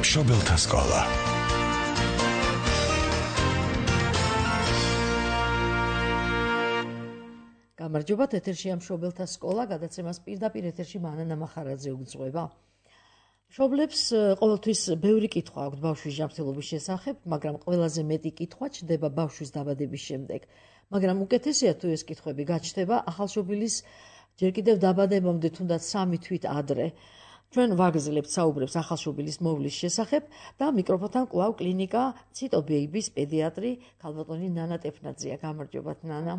მშობელთა სკოლა. გამარჯობათ, ეთერშია მშობელთა სკოლა, გადაცემას პირდაპირ ეთერში მანანა მახარაძე უძღვება. მშობლებს ყოველთვის ბევრი კითხვა აქვთ ბავშვის ჟამთელობის შესახებ, მაგრამ ყველაზე მეტი კითხვა ჩნდება ბავშვის დაბადების შემდეგ. მაგრამ უკეთესია თუ ეს კითხვები გაჩნდება ახალშობილის ჯერ კიდევ დაბადებამდე თუნდაც 3 თვით ადრე. ჩვენ ვაგრძელებთ საუბრებს ახალშობილის მოვლის შესახებ და მიკროფონთან კვლავ კლინიკა ციტო ბეიბის პედიატრი ქალბატონი ნანა ტეფნაძეა. გამარჯობათ ნანა.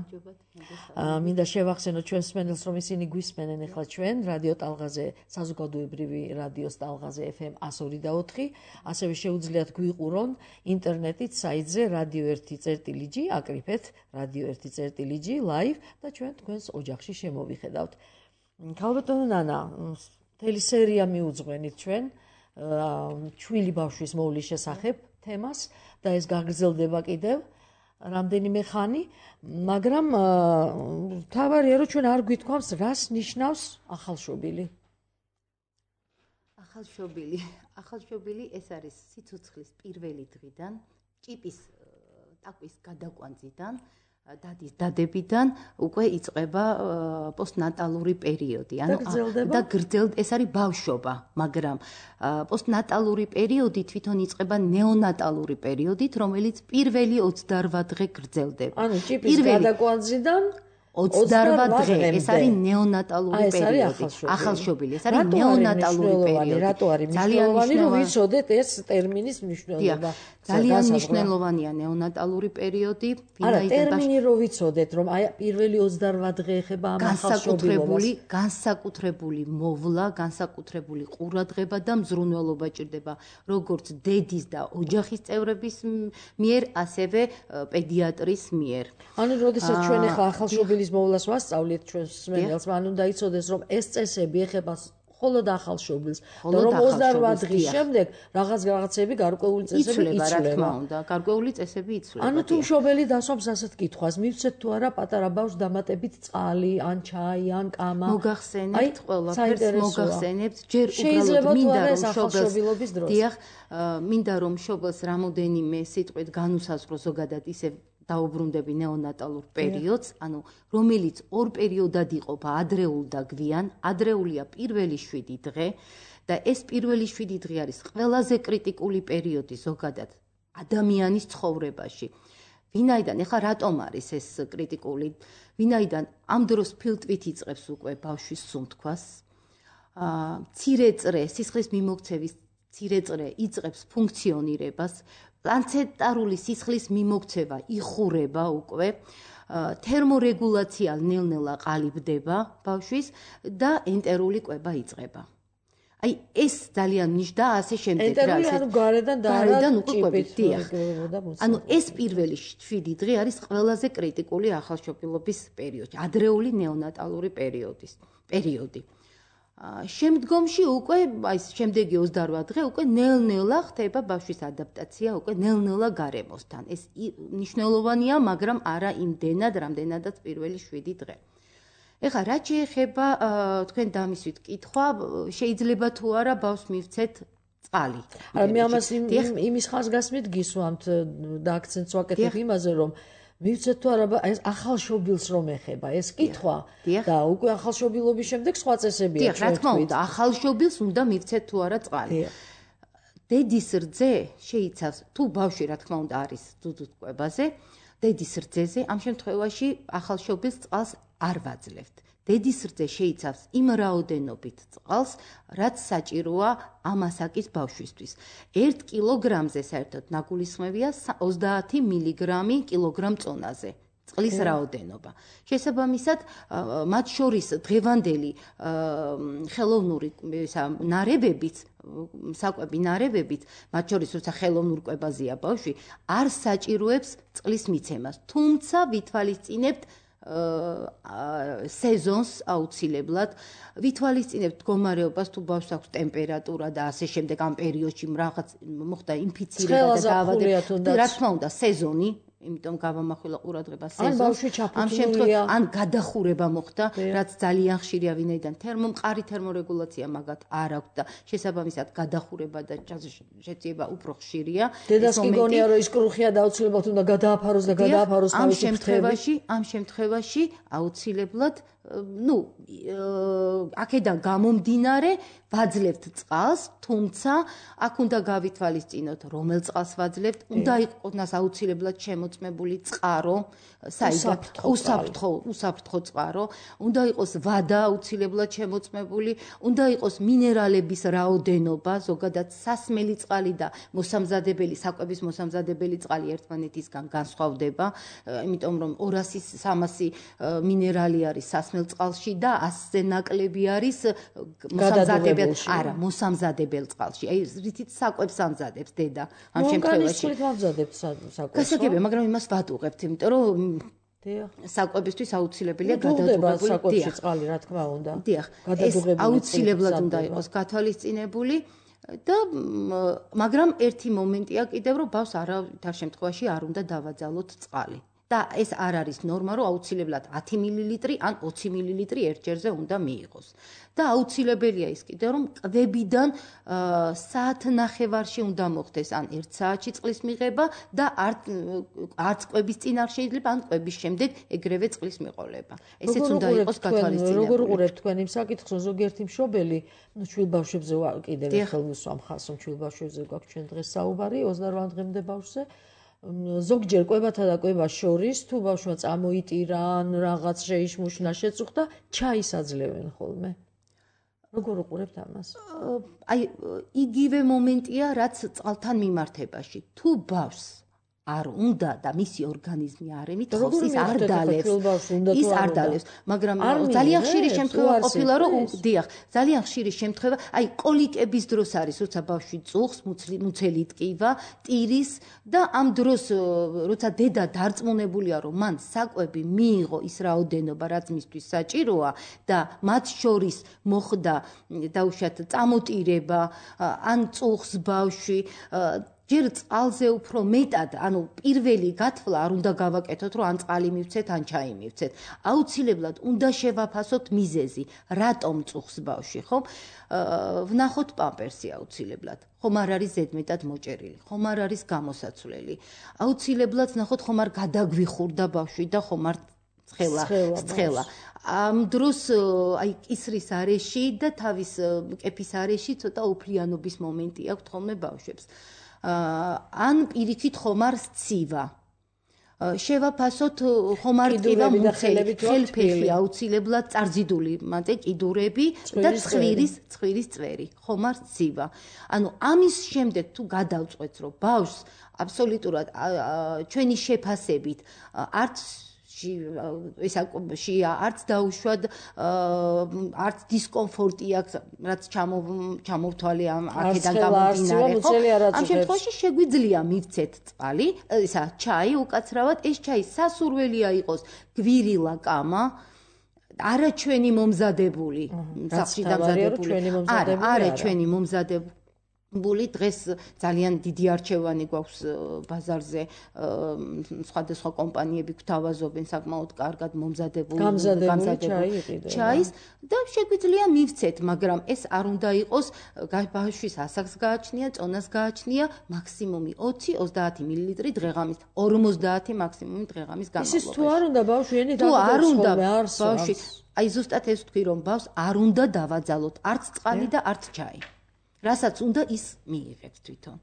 მინდა შევახსენოთ ჩვენს მსმენელს, რომ ისინი გვისმენენ ახლა ჩვენ რადიო ტალღაზე, საზოგადოებრივი რადიოს ტალღაზე FM 102.4, ასევე შეუძლიათ გვიყურონ ინტერნეტით საიტზე radio1.gr, აკრიფეთ radio1.gr live და ჩვენ თქვენს ოჯახში შემოვიხედავთ. ქალბატონო ნანა, მთელი სერია მიუძღვენით ჩვენ ჩვილი ბავშვის მოვლის შესახებ თემას და ეს გაგრძელდება კიდევ რამდენიმე ხანი, მაგრამ თავარია რომ ჩვენ არ გვითქვამს რას ნიშნავს ახალშობილი. ახალშობილი ეს არის სიცოცხლის პირველი დღიდან, ჭიპის ტაკვის გადაკვანძიდან, დადის დადებიდან უკვე იწყება პოსტნატალური პერიოდი. და გრძელდება, ეს არის ბავშვობა, მაგრამ პოსტნატალური პერიოდი თვითონ იწყება ნეონატალური პერიოდით, რომელიც პირველი 28 დღე გრძელდება. ანუ ჭიპის გადაკვანძიდან 28 დღე, ეს არის ნეონატალური პერიოდი. ახალშობილი, ეს არის ნეონატალური პერიოდი. რატო არის მნიშვნელოვანი, რომ ვიცოდეთ ეს ტერმინის მნიშვნელობა? ძალიან მნიშვნელოვანია ნეონატალური პერიოდი. არა, ტერმინი რომ ვიცოდეთ, რომ აი პირველი 28 დღე ეხება ამ ახალშობილობას. განსაკუთრებული მოვლა, განსაკუთრებული ყურადღება და მზრუნველობა ჭირდება, როგორც დედის და ოჯახის წევრების მიერ, ასევე პედიატრის მიერ. ანუ როდესაც ჩვენ ახლა ახალშობილის მოვლას ვასწავლეთ ჩვენს მსმენელს, მან უნდა იცოდეს, რომ ეს წესები ეხება მხოლოდ ახალშობილს და რომ 28 დღის შემდეგ რაღაცები გარკვეული წესები იცვლება. რა თქმა უნდა, გარკვეული წესები იცვლება. ანუ თუ მშობელი დასვამს ასეთ კითხვას, მივცეთ თუ არა პატარა ბავშვს დამატებით წყალი, ან ჩაი, ან კამა. მოგახსენებთ ყველაფერს, მოგახსენებთ, ჯერ უბრალოდ მინდა რომ ახალშობილობის დროს. დიახ, მინდა რომ მშობელს რამოდენიმე სიტყვით განუსაზღვრო ზოგადად ისე დაუბრუნდები ნეონატალურ პერიოდს, ანუ რომელიც ორ პერიოდად იყოფა, ადრეულ და გვიან. ადრეულია პირველი 7 დღე და ეს პირველი 7 დღე არის ყველაზე კრიტიკული პერიოდი ზოგადად ადამიანის ცხოვრებაში. ვინაიდან ეხლა რატომ არის ეს კრიტიკული? ვინაიდან ამ დროს ფილტვით იწყებს უკვე ბავშვის სუნთქვას. მცირე წრე, სისხლის მიმოქცევის მცირე წრე იწყებს ფუნქციონირებას. პლაცენტარული სისხლის მიმოქცევა იხურება უკვე, თერმორეგულაცია ნელ-ნელა ყალიბდება ბავშვის და ენტერული კვება იწყება. აი ეს ძალიან ნიშნავდა ასე შემდეგ. ენტერული ანუ გარედან უკვე კვებით. ანუ ეს პირველი 7 დღე არის ყველაზე კრიტიკული ახალშობილობის პერიოდი, ადრეული ნეონატალური პერიოდი. შემდგომში უკვე აი შემდეგი 28 დღე უკვე ნელ-ნელა ხდება ბავშვის ადაპტაცია უკვე ნელ-ნელა გარემოსთან. ეს მნიშვნელოვანია, მაგრამ არა იმდენად, რამდენადაც პირველი 7 დღე. ეხლა რაც შეეხება თქვენ დამისვით კითხვა, შეიძლება თუ არა ბავშვს მივცეთ წყალი. მე ამას იმის ხაზგასმით გისვამთ და აქცენტს ვაკეთებ იმაზე, რომ მივცეთ თუ არა ეს ახალშობილს რომ ეხება ეს კითხვა და უკვე ახალშობილობის შემდეგ სხვა წესებია. დიახ, რა თქმა უნდა, ახალშობილს უნდა მივცეთ თუ არა წყალი. დედის რძე შეიცავს, თუ ბავშვი რა თქმა უნდა არის დუდუთ კვებაზე, დედის რძეზე ამ შემთხვევაში ახალშობილს წყალს არ ვაძლევთ. დედის რძე შეიცავს იმ რაოდენობით წყალს, რაც საჭიროა ამ ასაკის ბავშვისთვის. 1 კილოგრამზე საერთოდ ნაგულისხმევია 30 მილიგრამი კილოგრამ წონაზე. წყლის რაოდენობა. შესაბამისად, მათ შორის დღევანდელი ხელოვნური ნარევებიც, საკვები ნარევებიც, მათ შორის როცა ხელოვნურ კვებაზეა ბავშვი, არ საჭიროებს წყლის მიცემას. თუმცა ვითვალისწინებთ სეზონს აუცილებლად ვითვალისწინებთ მდგომარეობას, თუ ბავშვს აქვს ტემპერატურა და ასე შემდეგ, ამ პერიოდში რაღაც მოხდა ინფიცირება და დაავადება. რა თქმა უნდა, სეზონი იმიტომ გავამახვილა ყურადღება ან ბავშვი ჩაფუძნილია, ან გადახურება მოხდა, რაც ძალიან ხშირია, ვინაიდან მყარი თერმორეგულაცია მაგათ არ აქვს და შესაბამისად გადახურება და შეწიება უფრო ხშირია. დედას კი გონია რომ ის კრუხია და აუცილებლად უნდა გადააფაროს და გადააფაროს თავისი ფრთები. ამ შემთხვევაში აუცილებლად აქედან გამომდინარე ვაძლევთ წყალს, თუმცა აქ უნდა გავითვალისწინოთ, რომელ წყალს ვაძლევთ, უნდა იყოს აუცილებლად შემოწმებული წყარო, უსაფრთხო წყარო, უნდა იყოს ვადა აუცილებლად შემოწმებული, უნდა იყოს მინერალების რაოდენობა, ზოგადად სასმელი წყალი და მოსამზადებელი, საკვების მოსამზადებელი წყალი ერთმანეთისგან განსხვავდება, იმიტომ რომ 200-300 მინერალი არის სასმელ წყალში და 100-ზე ნაკლები არის მოსამზადებელ წყალში. აი რითიც საკვებს ამზადებს დედა ამ შემთხვევაში. გასაგებია, მაგრამ იმას ვატუღებთ, იმიტომ რომ საკვებისთვის აუცილებელია გადადუღებული საკვებში წყალი, რა თქმა უნდა. გადადუღებული აუცილებლად უნდა იყოს გათვალისწინებული და მაგრამ ერთი მომენტია კიდევ რომ ბავშვს არავითარ შემთხვევაში არ უნდა დავაძალოთ წყალი. და ეს არ არის ნორმა, რომ აუცილებლად 10 მილილიტრი ან 20 მილილიტრი ერთჯერზე უნდა მიიღოს. და აუცილებელია ის კიდე, რომ კვებიდან საათნახევარში უნდა მოხდეს ან 1 საათში წყლის მიღება და არც კვების წინ არ შეიძლება, ან კვების შემდეგ ეგრევე წყლის მიყოლება. ესეც უნდა იყოს გათვალისწინებული. როგორ უყურებთ თქვენ იმ საკითხს, რომ ზოგიერთი მშობელი, შვილბავშვებზე კიდევ ერთხელ ვუსვამ ხალხს, რომ შვილბავშვებზე გვაქვს ჩვენ დღეს საუბარი, 28 დღემდე ბავშვზე. ზოგჯერ კვებათა და კვებას შორის თუ ბავშვმა წამოიტირა ან რაღაც შეიშმუშნა შეწუხდა, ჩაის აძლევენ ხოლმე. როგორ უყურებთ ამას? აი იგივე მომენტია, რაც წყალთან მიმართებაში. თუ ბავშვს არ უნდა და მისი ორგანიზმი არ ემითხოვს, ის არ დალევს, მაგრამ ძალიან ხშირი შემთხვევა ყოფილა, რომ ძალიან ხშირი შემთხვევა, აი კოლიკების დროს არის, როცა ბავშვი წუხს, მუცელი ტკივა, ტირის და ამ დროს, როცა დედა დარწმუნებულია, რომ მან საკვები მიიღო ის რაოდენობა, რაც მისთვის საჭიროა და მათ შორის მოხდა დაუშვათ წამოტირება, ან წუხს ბავშვი ჯერ წყალზე უფრო მეტად, ანუ პირველი გათვლა არ უნდა გავაკეთოთ, რომ ან წყალი მივცეთ, ან ჩაი მივცეთ. აუცილებლად უნდა შევაფასოთ მიზეზი, რატომ წუხს ბავშვი, ხო? ვნახოთ პამპერსი აუცილებლად. ხომ არ არის ზედმეტად მოჭერილი, ხომ არ არის გამოსაცვლელი. აუცილებლად ვნახოთ, ხომ არ გადაგვიხურდა ბავშვი და ხომ არ ცხელა. ამ დროს აი კისრის არეში და თავის კეფის არეში ცოტა უფლიანობის მომენტი აქვს ხოლმე ბავშვებს. ან პირიქით ხომარ სცივა. შევაფასოთ ხომარ ტკივა მუცელი, ხელფეხი აუცილებლად წარზიდული, მანტე კიდურები და ცხვირის წვერი, ხომარ სცივა. ანუ ამის შემდეგ თუ გადავწყვეტთ, რომ ბავშვს აბსოლუტურად ჩვენი შეფასებით არც არც დაუშვად, არც დისკომფორტი აქვს, რაც ჩამოვთვალე აქედან გამომდინარე, ხო? ამ შემთხვევაში შეგვიძლია მივცეთ წყალი, ჩაი უკაცრავად, ეს ჩაი სასურველია იყოს გვირილა კამა, არა ჩვენი მომზადებული, სახლში დამზადებული, არა ჩვენი მომზადებული. დღეს ძალიან დიდი არჩევანი გვაქვს ბაზარზე, სხვადასხვა კომპანიები გვთავაზობენ საკმაოდ კარგად მომზადებული ჩაის და შეგვიძლია მივცეთ, მაგრამ ეს არ უნდა იყოს ბავშვის ასაკს გააჩნია, წონას გააჩნია, მაქსიმუმი 20-30 მილილიტრი დღეღამის, 50 მაქსიმუმი დღეღამის განმავლობაში. ის თუ არ უნდა ბავშვი ენით ბავშვი, აი ზუსტად ეს ვთქვი, რომ ბავშვს არ უნდა დავაძალოთ არც წყალი და არც ჩაი. რასაც უნდა ის მიიღებს თვითონ.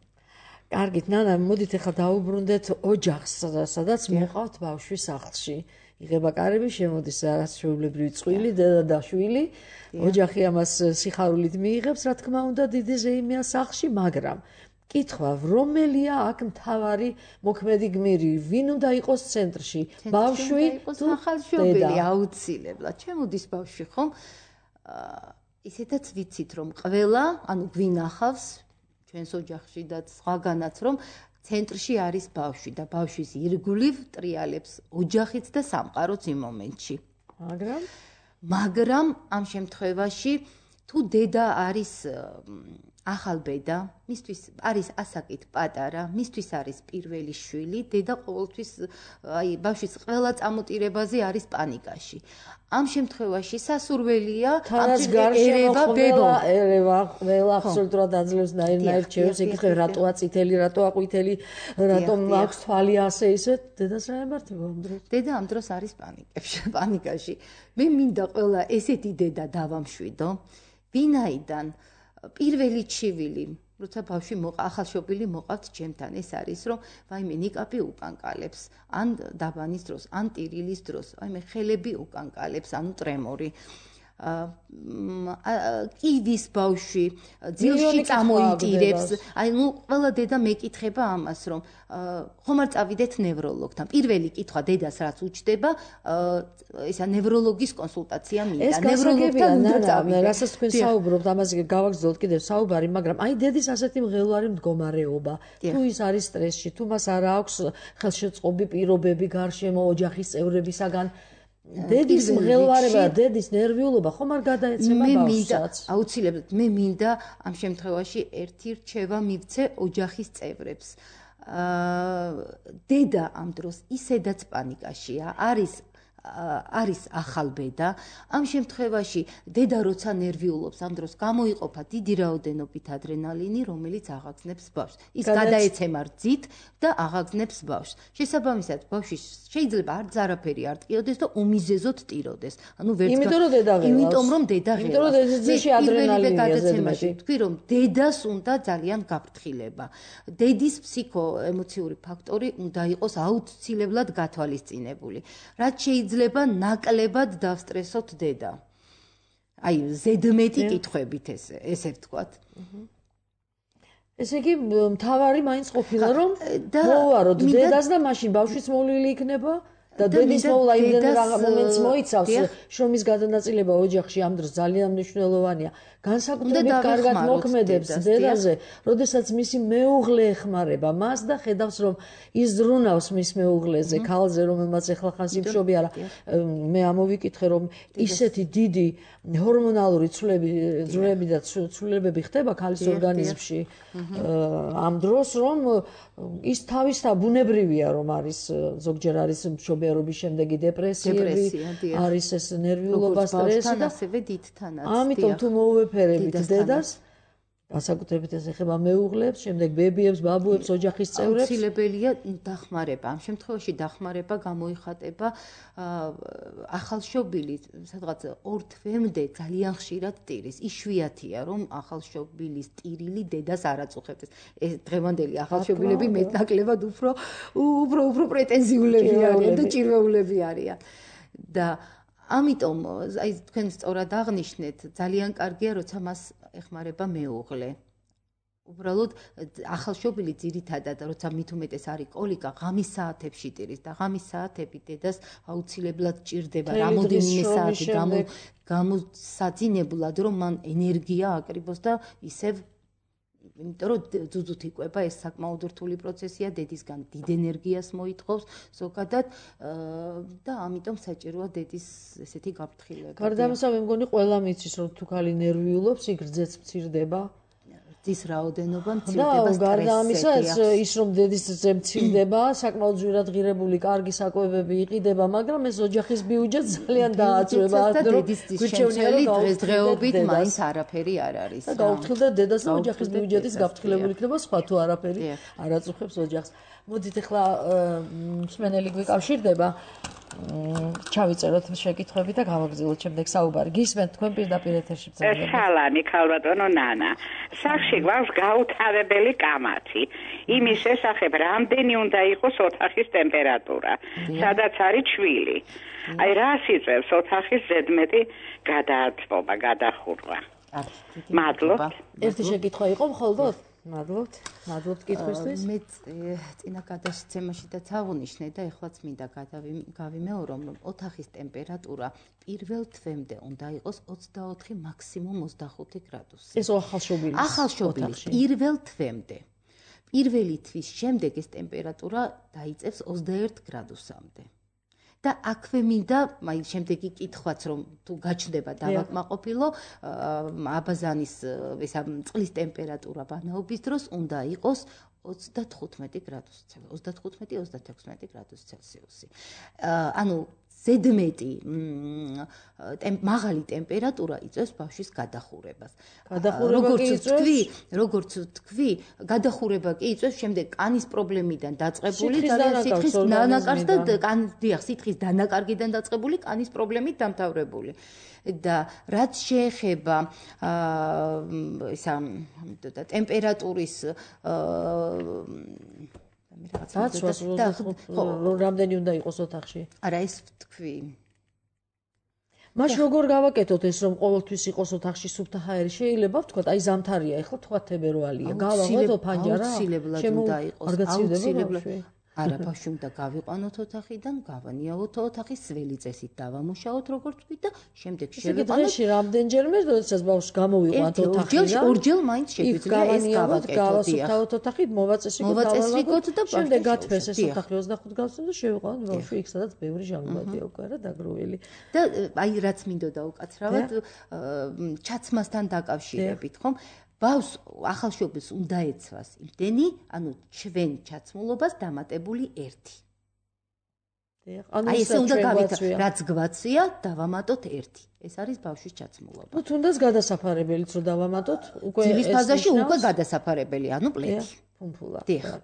კარგით, ნანა, მოდით ახლა დაუბრუნდეთ ოჯახს, სადაც მოყავთ ბავშვი სახლში. იღება კარები, შემოდის რაღაც ჩვეულებრივი წყვილი, დედა და შვილი. ოჯახი ამას სიხარულით მიიღებს, რა თქმა უნდა, დიდი ზეიმია სახლში, მაგრამ კითხვა, რომელია აქ მთავარი მოქმედი გმირი, ვინ უნდა იყოს ცენტრში? ბავშვი თუ ახალშობილი აუცილებლად. ჩემოდის ბავშვი, ხომ? ისედაც ვიცით, რომ ყველა, ანუ გვინახავს ჩვენს ოჯახში და სხვაგანაც, რომ ცენტრში არის ბავშვი და ბავშვის ირგვლივ ტრიალებს ოჯახიც და სამყაროც იმ მომენტში. მაგრამ ამ შემთხვევაში თუ დედა არის ახალბედა, მისთვის არის ასაკით პატარა, მისთვის არის პირველი შვილი, დედა ყოველთვის ბავშვის ყველა წამოტირებაზე არის პანიკაში. ამ შემთხვევაში სასურველია ერევა ყველა აბსოლუტურად აძლევს ნაირ ჩემს ეკითხება რატოა წითელი, რატოა ყვითელი, რატომ აქვს თვალი ასე ისე, დედას რა ემართება ამ დროს? დედა ამ დროს არის პანიკაში. მე მინდა ყველა ესეთი დედა დავამშვიდო, ვინაიდან პირველი ჩივილი, როცა ბავშვი ახალშობილი მოყავთ ჩემთან, ეს არის, რომ ვაიმე ნიკაპი უკანკალებს, ან დაბანის დროს, ან ტირილის დროს, ვაიმე ხელები უკანკალებს, ანუ ტრემორი. კიდის ბავშვი ძილში წამოიტირებს. აი, ყველა დედა მეკითხება ამას, რომ ხომ არ წავიდეთ ნევროლოგთან. პირველი კითხვა დედას რაც უჩდება, ისა ნევროლოგის კონსულტაცია მინდა. ნევროლოგთან უნდა წავიდე. რასაც თქვენ საუბრობთ, ამაზე გავაგრძელოთ კიდევ საუბარი, მაგრამ აი დედის ასეთი მღელვარი მდგომარეობა, თუ ის არის სტრესში, თუ მას არ აქვს ხელშეწყობი პირობები გარშემო ოჯახის წევრებისაგან დედის მღელვარება, დედის ნერვიულობა ხომ არ გადაეცემა ბავშვსაც? აუცილებლად მე მინდა ამ შემთხვევაში ერთი რჩევა მივცე ოჯახის წევრებს. დედა ამ დროს ისედაც პანიკაშია, არის ახალბედა. ამ შემთხვევაში დედა როცა ნერვიულობს, ამ დროს გამოიყოფა დიდი რაოდენობით ადრენალინი, რომელიც აღაგზნებს ბავშვს. ის გადაეცემა რძით და აღაგზნებს ბავშვს. შესაბამისად, ბავშვი შეიძლება არც არაფერი არ ტყიოდეს და უმიზეზოდ ტიროდეს. ანუ იმიტომ რომ დედა ღელავს. იმიტომ რომ დედა ღელავს. იმიტომ რომ დედაში ადრენალინია ზედმეტი. თქვი რომ დედას უნდა ძალიან გაფრთხილება. დედის ფსიქოემოციური ფაქტორი უნდა იყოს აუცილებლად გათვალისწინებული. რაც შეიძლება ნაკლებად დავსტრესოთ დედა. აი, ზედმეტი კითხვებით ესე ვთქვათ. ესე იგი, მთავარი მაინც ყოფილა, რომ მოვაროთ დედას და მაშინ ბავშვის მოვლილი იქნება და დედის მოვლა იმდენ მომენტს მოიცავს, შრომის გადანაწილება ოჯახში ამ დროს ძალიან მნიშვნელოვანია. განსაკუთრებით კარგად მოქმედებს დედაზე, როდესაც მისი მეუღლე ეხმარება მას და ხედავს, რომ იზრუნავს მის მეუღლეზე, ქალზე, რომელმაც ეხლა ხან სიმშობი არა. მე ამოვიკითხე, რომ ისეთი დიდი ჰორმონალური ცვლილები და ცვლილებები ხდება ქალის ორგანიზმში ამ დროს, რომ ის თავისთავად ბუნებრივია, რომ არის ზოგჯერ არის მშობიარობის შემდეგი დეპრესიები, არის ეს ნერვიულობა, სტრესი და ასევე დიდთანაც. ამიტომ თუ მოუვეფერებით დედას, განსაკუთრებით ეს ეხება მეუღლებს, შემდეგ ბებიებს, ბაბუებს, ოჯახის წევრებს, აუცილებელია დახმარება. ამ შემთხვევაში დახმარება გამოიხატება ახალშობილი, სადღაც 2 თვემდე ძალიან ხშირად ტირის. იშვიათია, რომ ახალშობილის ტირილი დედას არ აწუხებს. ეს დღევანდელი ახალშობილები მეტნაკლებად უფრო პრეტენზიულები არიან და ჭირვეულები არიან. და ამიტომ, აი თქვენ სწორად აღნიშნეთ, ძალიან კარგია, როცა მას ეხმარება მეუღლე. უბრალოდ ახალშობილი ძირითადად, როცა მით უმეტეს არის კოლიკა, ღამის საათებში ტირის და ღამის საათები დედას აუცილებლად ჭირდება რამოდენიმე საათი გამოსაძინებლად, რომ მან ენერგია აკრიბოს და ისევ იმიტომ რომ ძუძუთ იკვება, ეს საკმაოდ რთული პროცესია, დედისგან დიდ ენერგიას მოითხოვს ზოგადად და ამიტომ საჭიროა დედის ესეთი გაფრთხილება. გარდა ამისა, მე მგონი ყველა მიცის, რომ თუ ქალი ნერვიულობს, იქ რძეც მცირდება. რძის რაოდენობა მცირდება, სტრესი. გარდა ამისა, ის რომ დედის რძე მცირდება, საკმაოდ ძვირად ღირებული, კარგი საკვებები იყიდება, მაგრამ ეს ოჯახის ბიუჯეტს ძალიან დააწვევა. და დედის შემცველი დღესდღეობით მაინც არაფერი არ არის. და გაუფრთხილდა დედას და ოჯახის ბიუჯეტის გაფრთხილებული იქნება, სხვა თუ არაფერი არ აწუხებს ოჯახს. მოდით ახლა მსმენელი გვიკავშირდება. ჩავიწეროთ შეკითხვები და გავაგრძელოთ შემდეგ საუბარი. გისმენთ თქვენ პირდაპირ ეთერში ბრძანებით. სალამი, ქალბატონო ნანა. სახში გვაქვს გაუთავებელი კამათი. იმის შესახებ რამდენი უნდა იყოს ოთახის ტემპერატურა, სადაც არის ჩვილი. აი რას იწევს ოთახის ზედმეტი გადააცვობა, გადახურვა. მადლობთ. ერთი შეკითხვა იყო მხოლოდ? მადლობთ კითხვისთვის. მე წინა გადაცემაშიდაც აღნიშნე და ეხლაც მინდა გავიმეორო, რომ ოთახის ტემპერატურა პირველ თვემდე უნდა იყოს 24 მაქსიმუმ 25 გრადუსი. ეს ახალშობილის. ახალშობილის პირველ თვემდე. პირველი თვის შემდეგ ეს ტემპერატურა დაიწევს 21 გრადუსამდე. და აქვე მინდა აი შემდეგი კითხვაც რომ თუ გაჩნდება დავაკმაყოფილო აბაზანის ესა წყლის ტემპერატურა ბანაობის დროს უნდა იყოს 35 გრადუსი Celsius, 35-36 გრადუსი Celsius. ანუ ზედმეტი მაღალი ტემპერატურა იწვევს ბავშვის გადახურებას. როგორც თქვი, გადახურება კი იწვევს შემდეგ კანის პრობლემიდან დაწყებული და სითხის დანაკარგს და სითხის დანაკარგიდან დაწყებული კანის პრობლემით დამთავრებული. და რაც შეეხება ისა ტემპერატურის რამდენი უნდა იყოს ოთახში? არა, ეს თქვი. მაშინ როგორ გავაკეთოთ ეს რომ ყოველთვის იყოს ოთახში სუფთა ჰაერი? შეიძლება ვთქვათ, აი ზამთარია, ეხლა თქვა თებერვალია. გავაღოთ ფანჯარა? აუცილებლად უნდა იყოს. აუცილებლად. არა, ბავშვი უნდა გავიყვანოთ ოთახიდან, გავანიავოთ ოთახის ძველი წესით დავამუშაოთ როგორც ვთქვით და შემდეგ შევიყვანოთ. დღეში რამდენჯერმე, როდესაც ბავშვს გამოვიყვანთ ოთახიდან? ორჯერ მაინც შეგვიძლია ეს გავაკეთოთ. გავასუფთავოთ ოთახით, მოვაწესრიგოთ და შემდეგ გათბეს ეს ოთახი 25 გრადუსზე და შევიყვანოთ ბავშვი იქ სადაც ბევრი ჟანგბადია უკვე არა დაგროვილი. და აი რაც მინდოდა უკაცრავად ჩაცმასთან დაკავშირებით, ხომ? ბავშვს ახალშობილს უნდა ეცვას იმდენი, ანუ ჩვენ ჩაცმულობას დამატებული 1. აი ესე უნდა გავითვალოთ, რაც გვაცია, დავამატოთ 1. ეს არის ბავშვის ჩაცმულობა. ნუ თუნდაც გადასაფარებელიც რომ დავამატოთ, უკვე ძილის ფაზაში უკვე გადასაფარებელი, ანუ პლეთი. ფუმფულა. დიახ.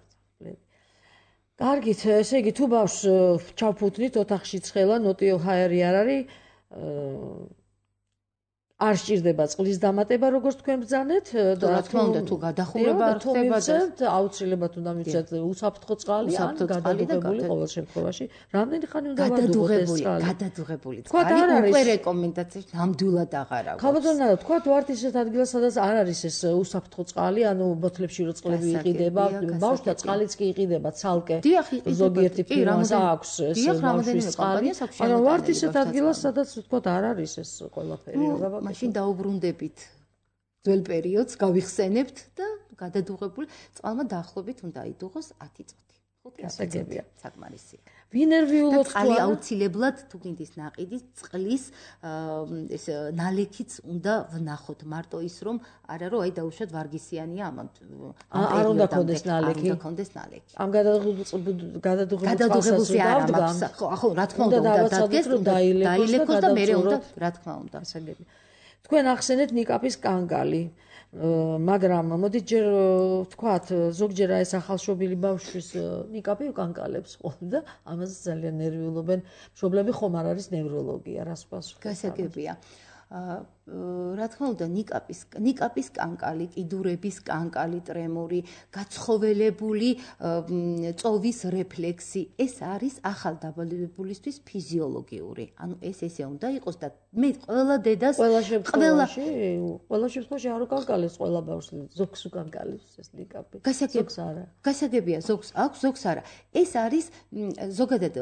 კარგით, ესე იგი თუ ბავშვს ჩავფუთნით ოთახში ცხელა, ნოტიო ჰაერი არ არის, არ სჭირდება წყლის დამატება, როგორც თქვენ ბრძანეთ და რა თქმა უნდა თუ გადახურება არ ხდება და აუცილებლად უნდა მივცეთ უსაფრთხო წყალი ან გადადუღებული ყოველ შემთხვევაში. რამდენი ხანი უნდა ვადუღოთ ეს წყალი? გადადუღებული წყალი უკვე რეკომენდაციაში ნამდვილად აღარ აქვს. ხალხო, თქვა ვართ ისეთ ადგილას, სადაც არ არის ეს უსაფრთხო წყალი, ანუ ბოთლებში რო წყლები იყიდება, ბავშვთა წყალიც კი იყიდება ცალკე. ზოგიერთი ფირმას აქვს ეს ბავშვის წყალი. მაგრამ ვართ ისეთ ადგილას, სადაც თქვა არ არის ეს ყველაფერი რა მაშინ დაუბრუნდებით ძველ პერიოდს, გავიხსენებთ და გადადუღებული წყალმა დაახლოებით უნდა აიდუღოს 10 წუთი. 5 წუთი საკმარისია. ვინერვიულოთ წყალი აუცილებლად თუ გინდის ნაყიდის წყლის ეს ნალექიც უნდა ვნახოთ, მარტო ის რომ არა რომ აი დაუშვათ ვარგისიანია ამან. არ უნდა კონდეს ნალექი. არ უნდა კონდეს ნალექი. ამ გადადუღებულს დავდგამ. ხო, რა თქმა უნდა დადგეს რომ დაილეკოს და მე უნდა რა თქმა უნდა. თქვენ ახსენეთ ნიკაპის კანგალი, მაგრამ მოდით ჯერ ვთქვათ, ზოგჯერ ეს ახალშობილი ბავშვის ნიკაპი უკანკალებს ხოლმე და ამაზე ძალიან ნერვიულობენ. მშობლები ხომ არ არის ნევროლოგია, რას პასუხი? გასაგებია. რა თქმა უნდა ნიკაპის კანკალი, კიდურების კანკალი, ტრემორი, გაცხოველებული წოვის რეფლექსი, ეს არის ახალდაბადებულისთვის ფიზიოლოგიური. ანუ ესე უნდა იყოს და მე ყველა დედას ყველა შემთხვევაში არ უკანკალებს ყველა ბავშვს, ზოგს უკანკალებს ეს ნიკაპი. ზოგს არა. გასაგებია, ზოგს აქვს, ზოგს არა. ეს არის ზოგადად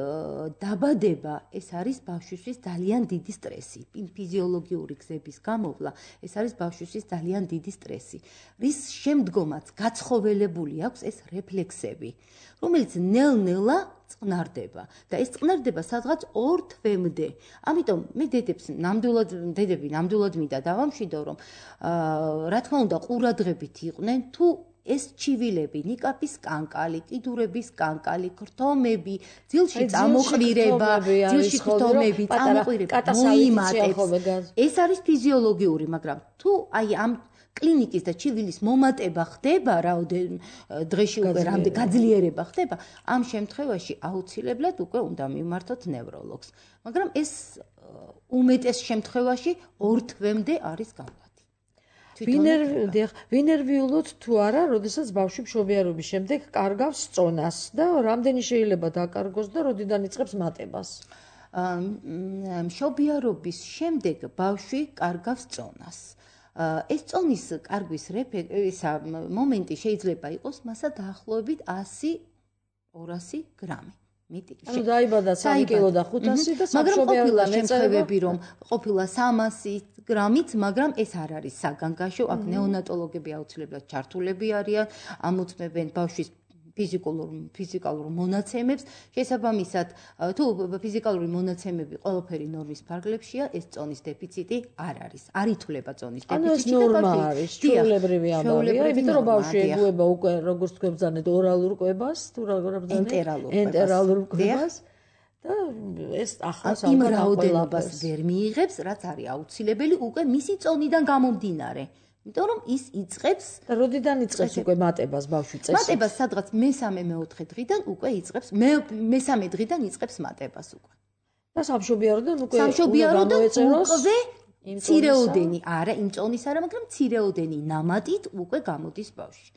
დაბადება, ეს არის ბავშვისთვის ძალიან დიდი სტრესი, ფიზიოლოგიური გზების გამოვლა, ეს არის ბავშვისთვის ძალიან დიდი სტრესი. რის შემდგომაც გაცხოველებული აქვს ეს რეფლექსები, რომელიც ნელ-ნელა წყნარდება და ეს წყნარდება სადღაც 2 თვემდე. ამიტომ მე დედები ნამდვილად მინდა დავამშვიდო, რომ რა თქმა უნდა ყურადღებით იყვნენ თუ ეს ჩივილები, ნიკაპის კანკალი, კიდურების კანკალი, ქრთომები, ძილში წამოყვირება, ძილში ქრთომები, წამოყვირება მოიმატებს. ეს არის ფიზიოლოგიური, მაგრამ თუ აი ამ კლინიკის და ჩივილის მომატება ხდება, დღეში უკვე რამდენი გაძლიერება ხდება, ამ შემთხვევაში აუცილებლად უკვე უნდა მივმართოთ ნევროლოგს. მაგრამ ეს უმეტეს შემთხვევაში 2 თვემდე არის გამო. ვინერვიულოთ თუ არა, როდესაც ბავშვი მშობიარობის შემდეგ კარგავს წონას და რამდენი შეიძლება დაკარგოს და როდიდან იწყებს მატებას? მშობიარობის შემდეგ ბავშვი კარგავს წონას. ეს წონის კარგვის მომენტი შეიძლება იყოს მასა დაახლოებით 100-200 გრამი. ანუ დაიბადა 3 კილო და 500 და სამშობიარო შემთხვევები რომ ყოფილა 300 გრამიც, მაგრამ ეს არ არის საგანგაშო, აქ ნეონატოლოგები აუცილებლად ჩართულები არიან, ამოწმებენ ბავშვის ფიზიკალურ მონაცემებს, შესაბამისად, თუ ფიზიკალური მონაცემები ყველაფერი ნორმის ფარგლებშია, ეს წონის დეფიციტი არ არის. არ ითვლება წონის დეფიციტი. ანუ ეს ნორმა არის, ჩვეულებრივი ამბავია, იმიტომ რომ ბავშვი ეგუება უკვე როგორც თქვენბძანეთ ორალურ კვებას, თუ როგორ ბძანეთ? ენტერალურ კვებას. და ეს ახავს იმ რაოდენობას ვერ მიიღებს, რაც არის აუცილებელი უკვე მისი წონიდან გამომდინარე. იმიტომ რომ ის იწყებს და როდიდან იწყებს უკვე მატებას ბავშვი წესს? მატებას სადღაც მე-3-4 დღიდან უკვე იწყებს, მე-3 დღიდან იწყებს მატებას უკვე. და სამშობიაროდან უკვე გამოეწეროს მცირეოდენი, არა, იმ წონის არა, მაგრამ მცირეოდენი ნამატით უკვე გამოდის ბავშვი.